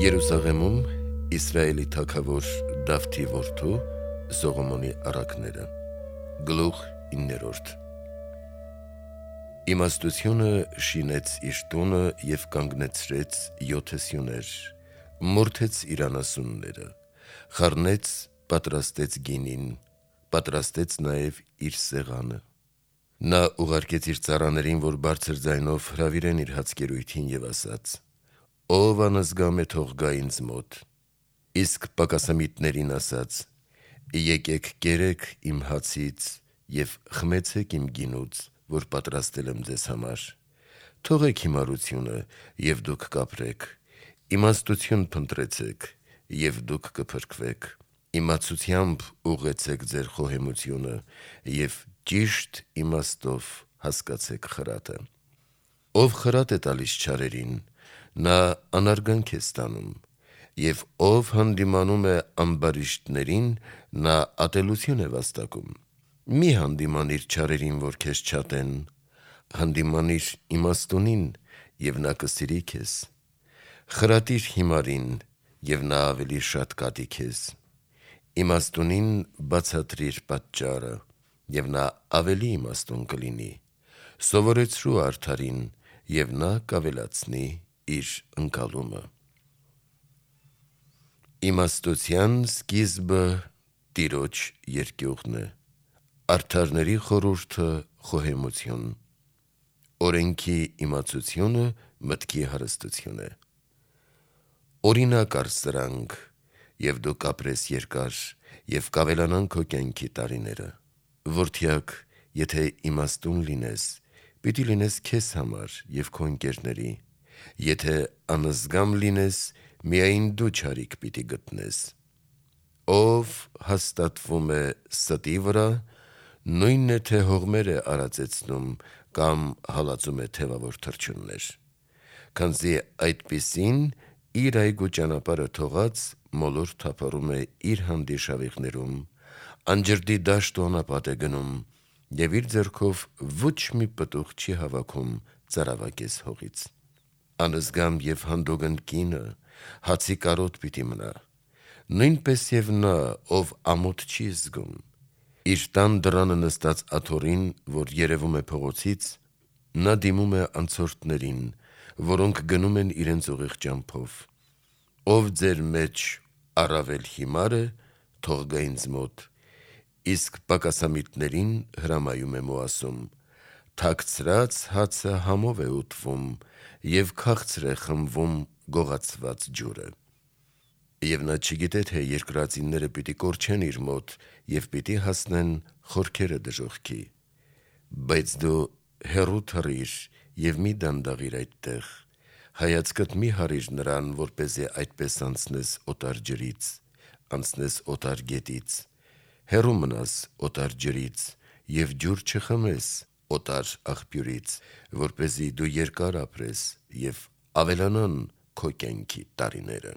Երուսաղեմում Իսրայելի թագավոր Դավթի որդու Սողոմոնի առակները։ Գլուխ 9. Իմաստությունը շինեց իր տունը և կանգնեցրեց 7 սյուներ, մորթեց իր անասունները, խառնեց, պատրաստեց գինին, պատրաստեց նաև իր սեղանը։ Նա ուղարկեց իր ծառաներին, որ բարձր ձայնով հրավիրեն իր հացկերույթին և ասաց. «Ով անզգամ է, թող գա ինձ մոտ»։ Իսկ պակասամիտներին ասաց. «Եկեք կերեք իմ հացից և խմեցեք իմ գինուց, որ պատրաստել եմ ձեզ համար։ Թողեք հիմարությունը և դուք կապրեք, իմաստություն փնտրեցեք և դուք կփրկվեք, իմացությամբ ուղղեցեք ձեր խոհեմությունը և ճիշտ իմաստով հասկացեք խրատը։ Ով խրատ է տալիս չարերին, նա անարգանք է ստանում, և ով հանդիմանում է ամբարիշտներին, նա ատելություն է վաստակում։ Մի հանդիմանիր չարերին, որ քեզ չատեն, հանդիմանիր իմաստունին, և նա կսիրի քեզ։ Խրատիր հիմարին, և նա ավելի շատ կատի քեզ։ Իմաստունին բացատրիր պատճառը, և նա ավելի իմաստուն կլինի։ Սովորեցրու արդարին, և նա կավելացնի իր ընկալումը։ Իմաստության սկիզբը Տիրոջ երկյուղն է, արդարների խորհուրդը խոհեմություն, օրենքի իմացությունը մտքի հարստություն է։ Օրինակ առ սրանք, և դու կապրես երկար, և կավելանան քո կյանքի տարիները։ Որդյակ, եթե իմաստուն լինես, պիտի լինես քեզ համար և քո ընկերների, եթե անզգամ լինես, միայն դու չարիք պիտի գտնես։ Ով հաստատվում է ստի վրա, նույնն է, թե հողմեր է արածեցնում կամ հալածում է թևավոր թռչուններ, քանզի այդպիսին իր այգու ճանապարհը թողած մոլոր թափառում է իր հանդիշավիղներում, անջրդի դաշտ ու անապատ է գնում, և իր ձեռքով ոչ մի պտուղ չի հավաքում ծարավակես հողից։ Անզգամ և հանդուգն կինը հացի կարոտ պիտի մնա, նույնպես և նա, ով ամոթ չի զգում։ Իր տան դռանը նստած աթոռին, որ երևում է փողոցից, նա դիմում է անցորդներին, որոնք գնում են իրենց ուղիղ ճամփով։ Ով ձեր մեջ առավել հիմար է, թող գա ինձ մոտ, իսկ պակասամիտներին հրամայում եմ ու ասում. թաքցրած հացը համով է ուտվում, և քաղցր է խմվում գողացված ջուրը։ Եվ նա չգիտե, թե երկրածինները պիտի կորչեն իր մոտ և պիտի հասնեն խորքերը դժոխքի։ Բայց դու հեռու թռիր և մի դանդաղիր այդտեղ, հայացքդ մի հառիր նրան, որպեսզի այդպես անցնես օտար ջրից, անցնես օտար գետից, հեռու մնաս օտար ջրից և ջուր չխմես օտար աղբյուրից, որպեսզի դու երկար ապրես և ավելանան քո կյանքի տարիները։